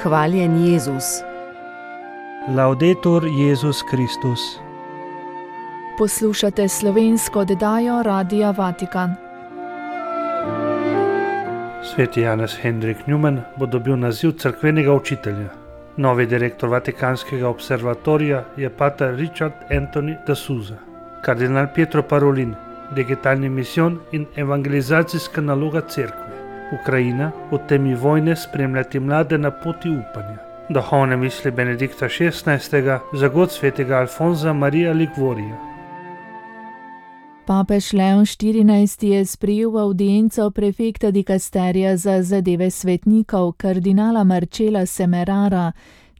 Hvaljen Jezus. Laudetur Jezus Kristus. Poslušate slovensko oddajo Radia Vatikan. Sveti Janez Henrik Newman bo dobil naziv cerkvenega učitelja. Novi direktor Vatikanskega observatorija je pater Richard Anthony de Souza. Kardinal Pietro Parolin, digitalni misijon in evangelizacijska naloga cerkve. Ukrajina v temi vojne spremljati mlade na poti upanja. Duhovne misli Benedikta XVI. Za god svetega Alfonza Marija Ligvorija. Papež Leon XIV. Je sprejel v avdienco prefekta dikasterija za zadeve svetnikov kardinala Marcela Semerara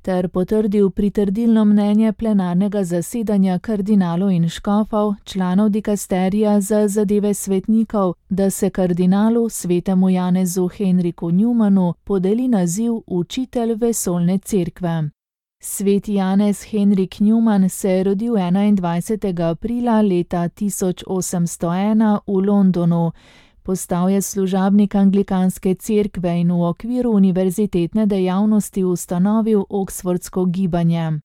ter potrdil pritrdilno mnenje plenarnega zasedanja kardinalov in škofov, članov dikasterija za zadeve svetnikov, da se kardinalu svetemu Janezu Henriku Newmanu podeli naziv učitelj vesoljne cerkve. Sveti Janez Henrik Newman se je rodil 21. aprila leta 1801 v Londonu. Postal je služabnik anglikanske cerkve in v okviru univerzitetne dejavnosti ustanovil Oxfordsko gibanje.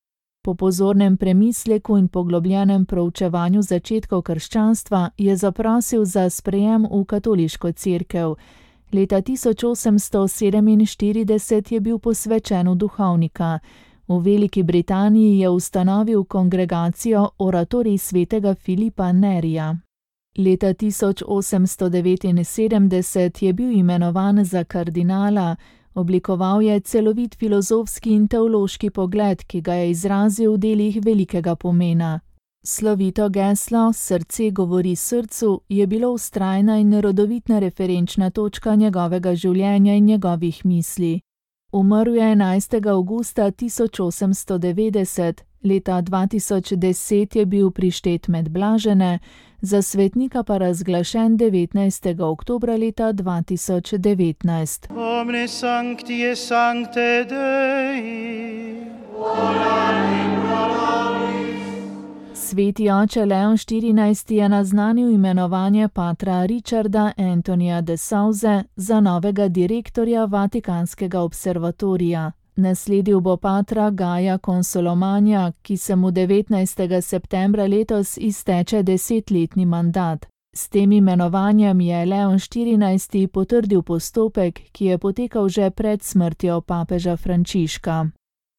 Po pozornem premisleku in poglobljenem proučevanju začetkov krščanstva je zaprosil za sprejem v katoliško cerkev. Leta 1847 je bil posvečen v duhovnika. V Veliki Britaniji je ustanovil kongregacijo Oratorij svetega Filipa Nerija. Leta 1879 je bil imenovan za kardinala, oblikoval je celovit filozofski in teološki pogled, ki ga je izrazil v delih velikega pomena. Slovito geslo Srce govori srcu je bilo vztrajna in rodovitna referenčna točka njegovega življenja in njegovih misli. Umrl je 11. avgusta 1890, leta 2010 je bil prištet med blažene, za svetnika pa razglašen 19. oktobra leta 2019. Omne sancti et sancte Dei, Sveti oče Leon XIV. Je naznanil imenovanje patra Richarda Anthonyja de Souze za novega direktorja Vatikanskega observatorija. Nasledil bo patra Gaja Consolomagna, ki se mu 19. septembra letos izteče 10-letni mandat. S tem imenovanjem je Leon XIV. Potrdil postopek, ki je potekal že pred smrtjo papeža Frančiška.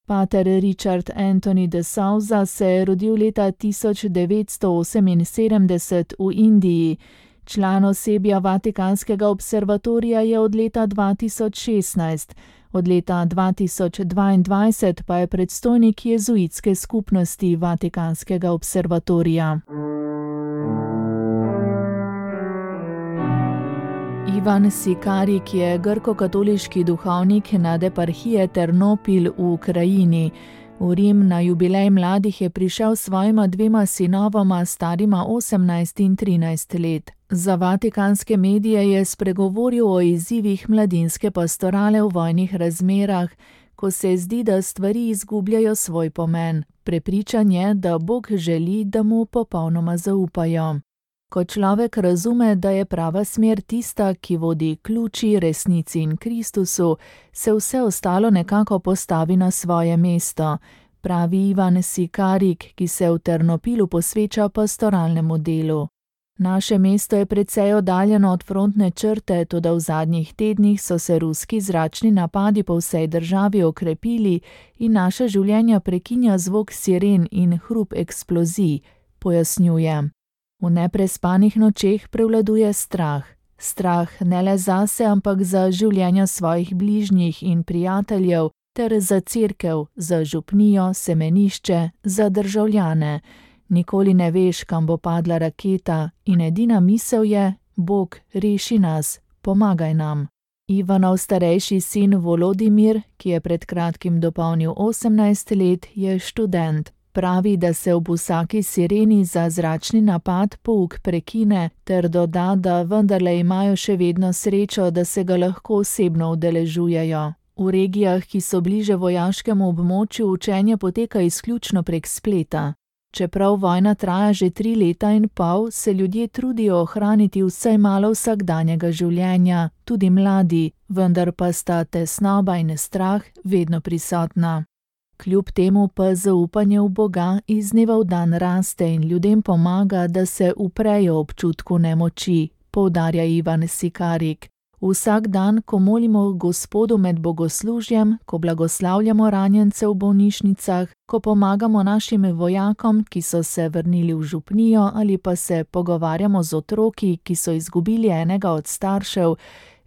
Pater Richard Anthony de Souza se je rodil leta 1978 v Indiji. Član osebja Vatikanskega observatorija je od leta 2016. Od leta 2022 pa je predstojnik jezuitske skupnosti Vatikanskega observatorija. Ivan Sikarik je grko-katoliški duhovnik nad eparhije Ternopil v Ukrajini. V Rim na jubilej mladih je prišel s svojima 2 sinovoma, starima 18 in 13 let. Za vatikanske medije je spregovoril o izzivih mladinske pastorale v vojnih razmerah, ko se zdi, da stvari izgubljajo svoj pomen. Prepričan je, da Bog želi, da mu popolnoma zaupajo. Ko človek razume, da je prava smer tista, ki vodi k luči, resnici in Kristusu, se vse ostalo nekako postavi na svoje mesto, pravi Ivan Sikarik, ki se v Ternopilu posveča pastoralnemu delu. Naše mesto je precej oddaljeno od frontne črte, toda v zadnjih tednih so se ruski zračni napadi po vsej državi okrepili in naša življenja prekinja zvok siren in hrup eksplozij, pojasnjuje. V neprespanih nočeh prevladuje strah. Strah ne le zase, ampak za življenja svojih bližnjih in prijateljev, ter za cerkev, za župnijo, semenišče, za državljane. Nikoli ne veš, kam bo padla raketa in edina misel je: Bog, reši nas, pomagaj nam. Ivanov starejši sin Volodimir, ki je pred kratkim dopolnil 18 let, je študent. Pravi, da se ob vsaki sireni za zračni napad pouk prekine, ter doda, da vendarle imajo še vedno srečo, da se ga lahko osebno udeležujejo. V regijah, ki so bliže vojaškemu območju, učenje poteka izključno prek spleta. Čeprav vojna traja že 3 leta in pol, se ljudje trudijo ohraniti vsaj malo vsakdanjega življenja, tudi mladi, vendar pa sta tesnoba in strah vedno prisotna. Kljub temu pa zaupanje v Boga iz dneva v dan raste in ljudem pomaga, da se uprejo občutku nemoči, poudarja Ivan Sikarik. Vsak dan, ko molimo Gospodu med bogoslužjem, ko blagoslavljamo ranjence v bolnišnicah, ko pomagamo našim vojakom, ki so se vrnili v župnijo, ali pa se pogovarjamo z otroki, ki so izgubili enega od staršev,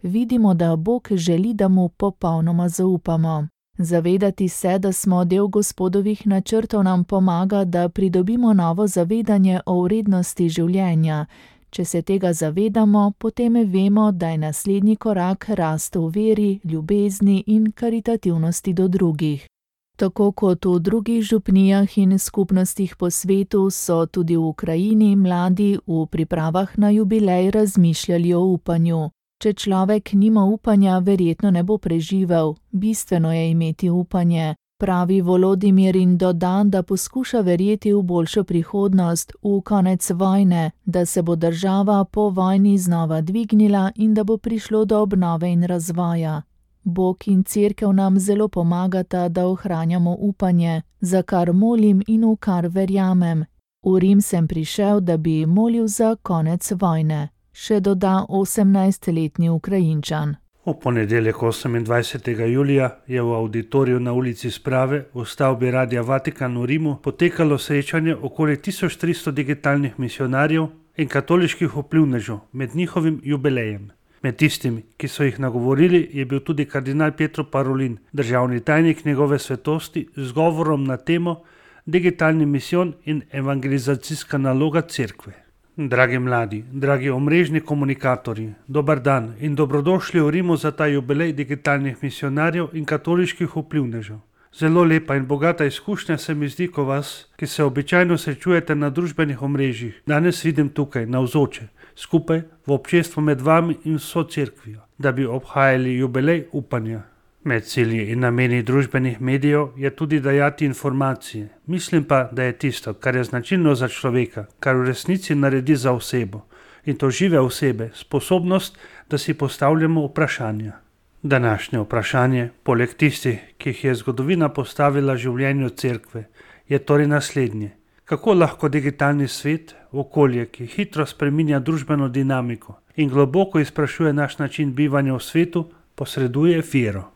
vidimo, da Bog želi, da mu popolnoma zaupamo. Zavedati se, da smo del Gospodovih načrtov, nam pomaga, da pridobimo novo zavedanje o vrednosti življenja. Če se tega zavedamo, potem vemo, da je naslednji korak rast v veri, ljubezni in karitativnosti do drugih. Tako kot v drugih župnijah in skupnostih po svetu, so tudi v Ukrajini mladi v pripravah na jubilej razmišljali o upanju. Če človek nima upanja, verjetno ne bo preživel. Bistveno je imeti upanje. Pravi Volodimir in doda, da poskuša verjeti v boljšo prihodnost, v konec vojne, da se bo država po vojni znova dvignila in da bo prišlo do obnove in razvoja. Bog in Cerkev nam zelo pomagata, da ohranjamo upanje, za kar molim in v kar verjamem. V Rim sem prišel, da bi molil za konec vojne, še doda 18-letni Ukrajinčan. V ponedeljek 28. julija je v auditoriju na ulici Sprave v stavbi Radia Vatikan v Rimu potekalo srečanje okoli 1300 digitalnih misionarjev in katoliških vplivnežev med njihovim jubilejem. Med tistimi, ki so jih nagovorili, je bil tudi kardinal Pietro Parolin, državni tajnik njegove svetosti, z govorom na temo Digitalni misijon in evangelizacijska naloga Cerkve. Dragi mladi, dragi omrežni komunikatorji, dober dan in dobrodošli v Rimu za ta jubilej digitalnih misionarjev in katoliških vplivnežev. Zelo lepa in bogata izkušnja se mi zdi, ko vas, ki se običajno srečujete na družbenih omrežjih, danes vidim tukaj, navzoče, skupaj v občestvu med vami in vso cerkvijo, da bi obhajali jubilej upanja. Med cilji in nameni družbenih medijev je tudi dajati informacije. Mislim pa, da je tisto, kar je značilno za človeka, kar v resnici naredi za osebo, in to žive osebe, sposobnost, da si postavljamo vprašanja. Današnje vprašanje, poleg tistih, ki jih je zgodovina postavila življenju cerkve, je torej naslednje. Kako lahko digitalni svet, okolje, ki hitro spreminja družbeno dinamiko in globoko izprašuje naš način bivanja v svetu, posreduje vero?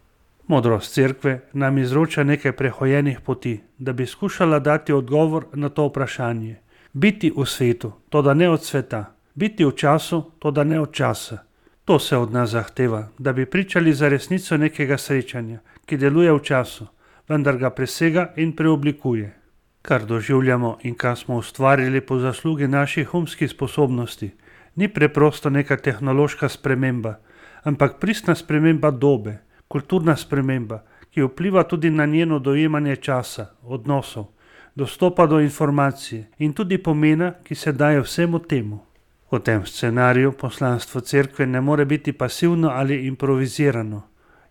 Modrost cerkve nam izroča nekaj prehojenih poti, da bi skušala dati odgovor na to vprašanje. Biti v svetu, toda ne od sveta. Biti v času, toda ne od časa. To se od nas zahteva, da bi pričali za resnico nekega srečanja, ki deluje v času, vendar ga presega in preoblikuje. Kar doživljamo in kar smo ustvarili po zaslugi naših umskih sposobnosti, ni preprosto neka tehnološka sprememba, ampak pristna sprememba dobe, kulturna sprememba, ki vpliva tudi na njeno dojemanje časa, odnosov, dostopa do informacije in tudi pomena, ki se daje vsemu temu. V tem scenariju poslanstvo cerkve ne more biti pasivno ali improvizirano.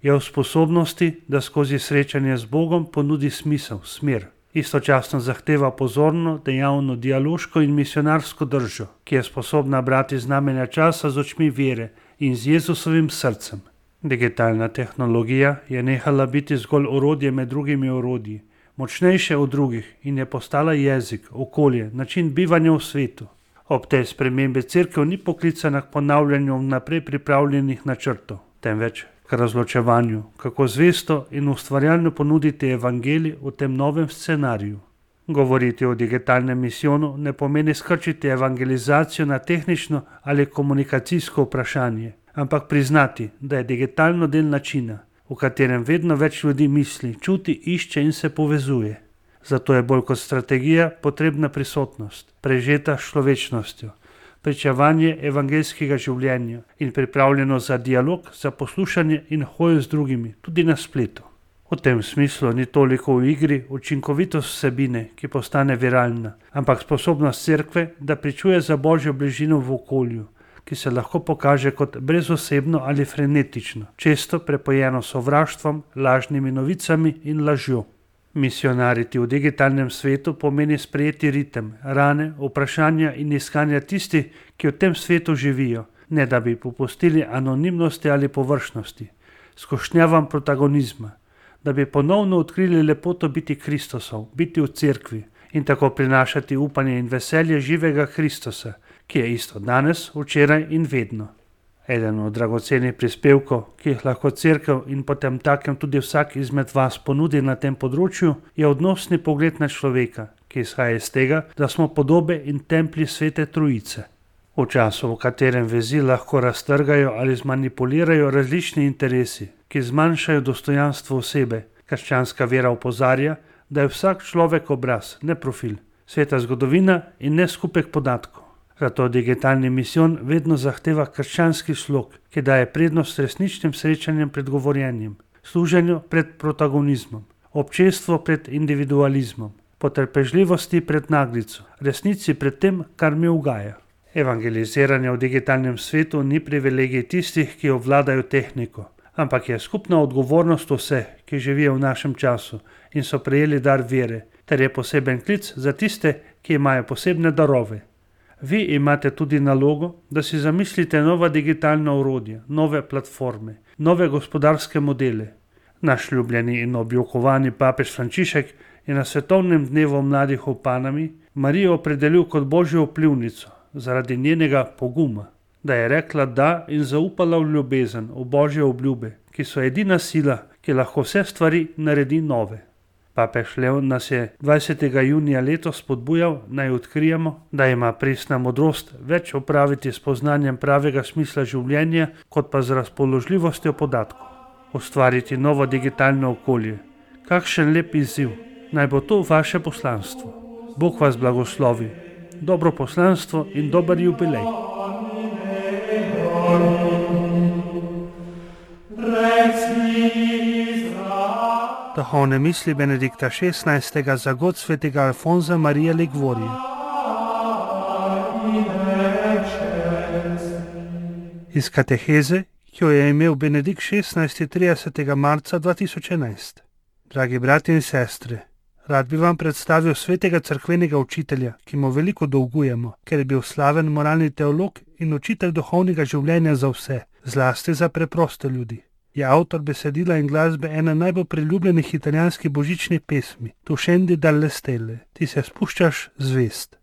Je v sposobnosti, da skozi srečanje z Bogom ponudi smisel, smer. Istočasno zahteva pozorno, dejavno, dialoško in misionarsko držo, ki je sposobna brati znamenja časa z očmi vere in z Jezusovim srcem. Digitalna tehnologija je nehala biti zgolj orodje med drugimi orodji, močnejše od drugih in je postala jezik, okolje, način bivanja v svetu. Ob tej spremembi cerkev ni poklicana k ponavljanju vnaprej pripravljenih načrtov, temveč k razločevanju, kako zvesto in ustvarjalno ponuditi evangelij v tem novem scenariju. Govoriti o digitalnem misijonu ne pomeni skrčiti evangelizacijo na tehnično ali komunikacijsko vprašanje, ampak priznati, da je digitalno del načina, v katerem vedno več ljudi misli, čuti, išče in se povezuje. Zato je bolj kot strategija potrebna prisotnost, prežeta s človečnostjo, pričevanje evangeljskega življenja in pripravljenost za dialog, za poslušanje in hojo z drugimi, tudi na spletu. V tem smislu ni toliko v igri učinkovitost vsebine, ki postane viralna, ampak sposobnost cerkve, da pričuje za Božjo bližino v okolju, ki se lahko pokaže kot brezosebno ali frenetično, često prepojeno sovraštvom, lažnimi novicami in lažjo. Misionariti v digitalnem svetu pomeni sprejeti ritem, rane, vprašanja in iskanja tistih, ki v tem svetu živijo, ne da bi popustili anonimnosti ali površnosti, skušnjavam protagonizma, da bi ponovno odkrili lepoto biti Kristosov, biti v cerkvi in tako prinašati upanje in veselje živega Kristosa, ki je isto danes, včeraj in vedno. Eden od dragocenih prispevkov, ki jih lahko cerkev in potem takem tudi vsak izmed vas ponudi na tem področju, je odnosni pogled na človeka, ki izhaja iz tega, da smo podobe in templji Svete Trojice. V času, v katerem vezi lahko raztrgajo ali zmanipulirajo različni interesi, ki zmanjšajo dostojanstvo osebe, krščanska vera opozarja, da je vsak človek obraz, ne profil, sveta zgodovina in ne skupek podatkov. Zato digitalni misijon vedno zahteva krščanski slog, ki daje prednost resničnim srečanjem pred govorjenjem, služenju pred protagonizmom, občestvo pred individualizmom, potrpežljivosti pred naglico, resnici pred tem, kar mi ugaja. Evangeliziranje v digitalnem svetu ni privilegij tistih, ki obvladajo tehniko, ampak je skupna odgovornost vseh, ki živijo v našem času in so prejeli dar vere, ter je poseben klic za tiste, ki imajo posebne darove. Vi imate tudi nalogo, da si zamislite nova digitalna orodja, nove platforme, nove gospodarske modele. Naš ljubljeni in objokovani papež Frančišek je na svetovnem dnevu mladih v Panami Marijo opredelil kot božjo vplivnico zaradi njenega poguma, da je rekla da in zaupala v ljubezen, v božje obljube, ki so edina sila, ki lahko vse stvari naredi nove. Papež Leon nas je 20. junija letos spodbujal, naj odkrijemo, da ima pristna modrost več opraviti s poznanjem pravega smisla življenja, kot pa z razpoložljivostjo podatkov. Ustvariti novo digitalno okolje. Kakšen lep izziv. Naj bo to vaše poslanstvo. Bog vas blagoslovi. Dobro poslanstvo in dober jubilej. Duhovne misli Benedikta XVI. Za god svetega Alfonza Marija Ligvorije. Iz kateheze, ki jo je imel Benedikt XVI. 30. marca 2011. Dragi brati in sestre, rad bi vam predstavil svetega cerkvenega učitelja, ki mu veliko dolgujemo, ker je bil slaven moralni teolog in učitelj duhovnega življenja za vse, zlasti za preproste ljudi. Je avtor besedila in glasbe ene najbolj priljubljenih italijanskih božičnih pesmi, Tu scendi dalle stelle, ti se spuščaš zvest.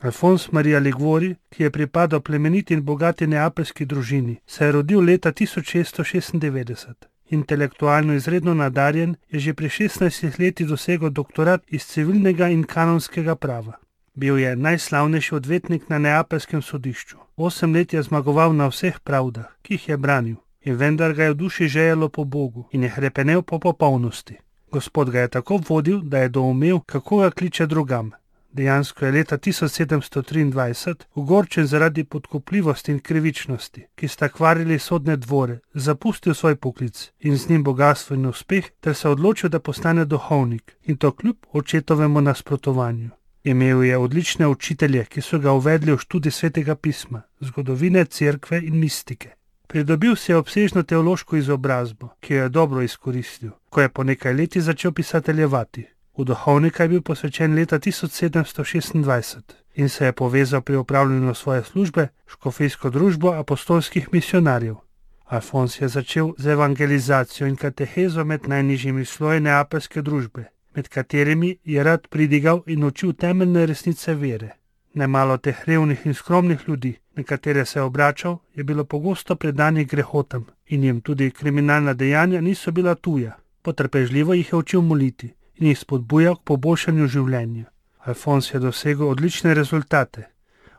Alfons Maria Liguori, ki je pripadal plemeniti in bogati neapeljski družini, se je rodil leta 1696. Intelektualno izredno nadarjen, je že pri 16 letih dosegel doktorat iz civilnega in kanonskega prava. Bil je najslavnejši odvetnik na neapeljskem sodišču. 8 let je zmagoval na vseh pravdah, ki jih je branil. In vendar ga je v duši žejelo po Bogu in je hrepenel po popolnosti. Gospod ga je tako vodil, da je doumel, kako ga kliče drugam. Dejansko je leta 1723, ogorčen zaradi podkupljivosti in krivičnosti, ki sta kvarili sodne dvore, zapustil svoj poklic in z njim bogastvo in uspeh, ter se odločil, da postane duhovnik, in to kljub očetovemu nasprotovanju. Imel je odlične učitelje, ki so ga uvedli v študij svetega pisma, zgodovine, cerkve in mistike. Pridobil si je obsežno teološko izobrazbo, ki jo je dobro izkoristil, ko je po nekaj letih začel pisateljevati. V duhovnika je bil posvečen leta 1726 in se je povezal pri opravljanju svoje službe škofijsko družbo apostolskih misionarjev. Alfons je začel z evangelizacijo in katehezo med najnižjimi sloji neapeljske družbe, med katerimi je rad pridigal in učil temeljne resnice vere. Nemalo teh revnih in skromnih ljudi, na katere se je obračal, je bilo pogosto predanih grehotam in jim tudi kriminalna dejanja niso bila tuja. Potrpežljivo jih je učil moliti in jih spodbujal k poboljšanju življenja. Alfons je dosegel odlične rezultate.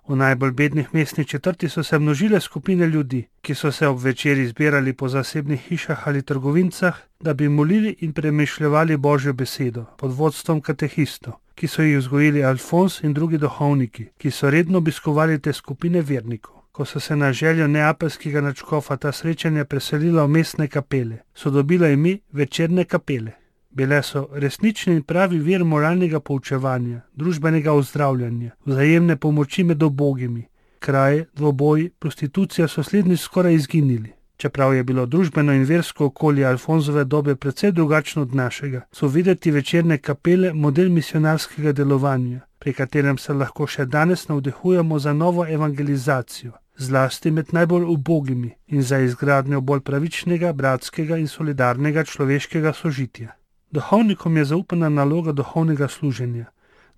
V najbolj bednih mestnih četrti so se množile skupine ljudi, ki so se ob večeri zbirali po zasebnih hišah ali trgovincah, da bi molili in premišljevali Božjo besedo pod vodstvom katehistov, ki so jih vzgojili Alfons in drugi duhovniki, ki so redno obiskovali te skupine vernikov. Ko so se na željo neapeljskega nadškofa ta srečanja preselila v mestne kapele, so dobila ime večerne kapele. Bile so resnični in pravi vir moralnega poučevanja, družbenega ozdravljanja, vzajemne pomoči med ubogimi. Kraje, dvoboji, prostitucija so slednji skoraj izginili. Čeprav je bilo družbeno in versko okolje Alfonzove dobe precej drugačno od našega, so videti večerne kapele model misionarskega delovanja, pri katerem se lahko še danes navdihujemo za novo evangelizacijo, zlasti med najbolj ubogimi in za izgradnjo bolj pravičnega, bratskega in solidarnega človeškega sožitja. Duhovnikom je zaupana naloga duhovnega služenja.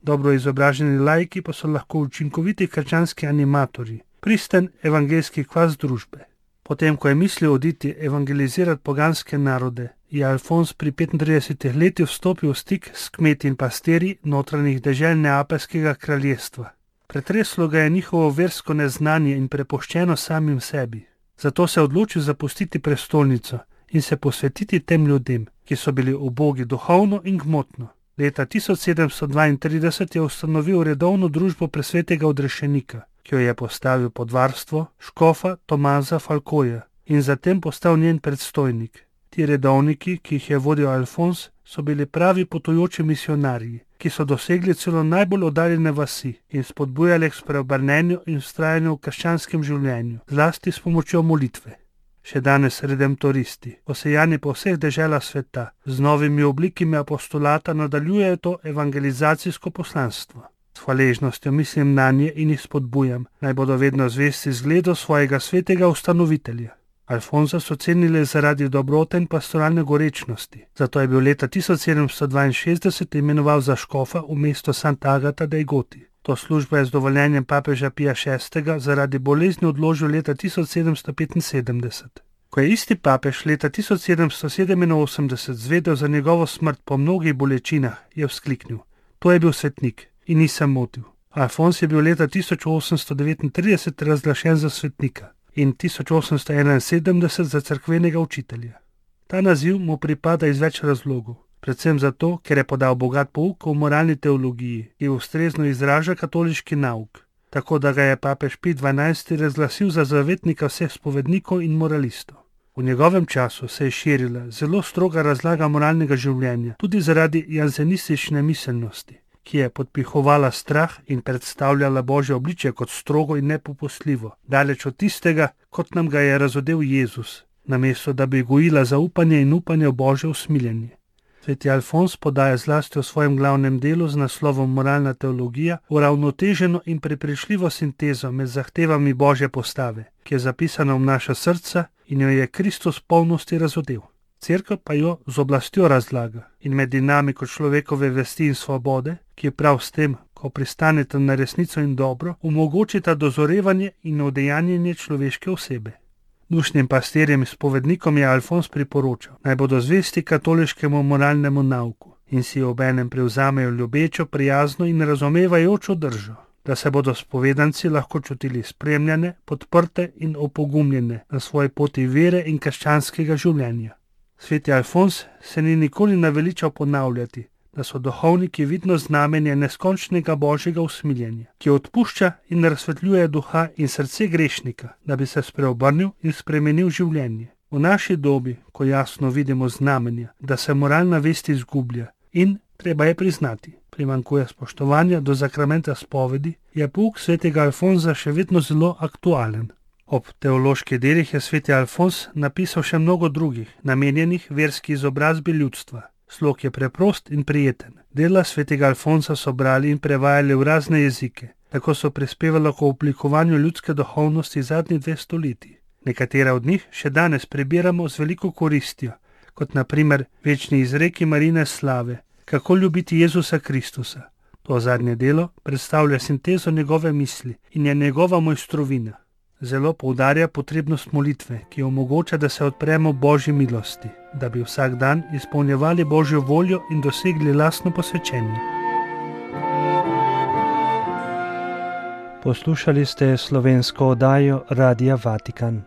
Dobro izobraženi laiki pa so lahko učinkoviti krščanski animatorji, pristen evangeljski kvas družbe. Potem, ko je mislil oditi evangelizirati poganske narode, je Alfons pri 35 letih vstopil v stik s kmeti in pastirji notranjih dežel Neapeljskega kraljestva. Pretreslo ga je njihovo versko neznanje in prepuščeno samim sebi. Zato se je odločil zapustiti prestolnico in se posvetiti tem ljudem, ki so bili ubogi duhovno in gmotno. Leta 1732 je ustanovil redovno družbo presvetega odrešenika, ki jo je postavil pod varstvo škofa Tomaza Falcoja in zatem postal njen predstojnik. Ti redovniki, ki jih je vodil Alfons, so bili pravi potujoči misionarji, ki so dosegli celo najbolj oddaljene vasi in spodbujali k spreobrnenju in vztrajanju v krščanskem življenju, zlasti s pomočjo molitve. Še danes redemptoristi, posejani po vseh deželah sveta, z novimi oblikami apostolata nadaljujejo to evangelizacijsko poslanstvo. S hvaležnostjo mislim nanje in jih spodbujam, naj bodo vedno zvesti zgledu svojega svetega ustanovitelja. Alfonza so cenili zaradi dobrote in pastoralne gorečnosti, zato je bil leta 1762 imenoval za škofa v mesto Santa Agata dei Goti. To službo je z dovoljenjem papeža Pija VI. Zaradi bolezni odložil leta 1775. Ko je isti papež leta 1787 zvedel za njegovo smrt po mnogih bolečinah, je vzkliknil: "To je bil svetnik in nisem motil." Alfons je bil leta 1839 razglašen za svetnika in 1871 za cerkvenega učitelja. Ta naziv mu pripada iz več razlogov. Predvsem zato, ker je podal bogat pouk o moralni teologiji, ki ustrezno izraža katoliški nauk, tako da ga je papež Pij XII. Razglasil za zavetnika vseh spovednikov in moralistov. V njegovem času se je širila zelo stroga razlaga moralnega življenja, tudi zaradi janzenistične miselnosti, ki je podpihovala strah in predstavljala Božje obličje kot strogo in nepopustljivo, daleč od tistega, kot nam ga je razodel Jezus, namesto da bi gojila zaupanje in upanje v Božje usmiljenje. Sveti Alfons podaja zlasti v svojem glavnem delu z naslovom Moralna teologija uravnoteženo in prepričljivo sintezo med zahtevami Božje postave, ki je zapisana v naša srca in jo je Kristus v polnosti razodel. Cerkev pa jo z oblastjo razlaga in med dinamiko človekove vesti in svobode, ki je prav s tem, ko pristanete na resnico in dobro, omogočita dozorevanje in udejanjenje človeške osebe. Dušnim pastirjem in spovednikom je Alfons priporočal, naj bodo zvesti katoliškemu moralnemu nauku in si obenem prevzamejo ljubečo, prijazno in razumevajočo držo, da se bodo spovedanci lahko čutili spremljane, podprte in opogumljene na svoji poti vere in krščanskega življenja. Sveti Alfons se ni nikoli naveličal ponavljati, da so duhovniki vidno znamenje neskončnega Božjega usmiljenja, ki odpušča in razsvetljuje duha in srce grešnika, da bi se spreobrnil in spremenil življenje. V naši dobi, ko jasno vidimo znamenja, da se moralna vest izgublja in, treba je priznati, primanjkuje spoštovanja do zakramenta spovedi, je pouk svetega Alfonza še vedno zelo aktualen. Ob teoloških delih je sveti Alfons napisal še mnogo drugih, namenjenih verski izobrazbi ljudstva. Slog je preprost in prijeten. Dela svetega Alfonsa so brali in prevajali v razne jezike, tako so prispevala k oblikovanju ljudske duhovnosti zadnjih 2 stoletji. Nekatera od njih še danes prebiramo z veliko koristjo, kot na primer večni izreki Marine slave, kako ljubiti Jezusa Kristusa. To zadnje delo predstavlja sintezo njegove misli in je njegova mojstrovina. Zelo poudarja potrebnost molitve, ki omogoča, da se odpremo Božji milosti, da bi vsak dan izpolnjevali Božjo voljo in dosegli lastno posvečenje. Poslušali ste slovensko oddajo Radia Vatikan.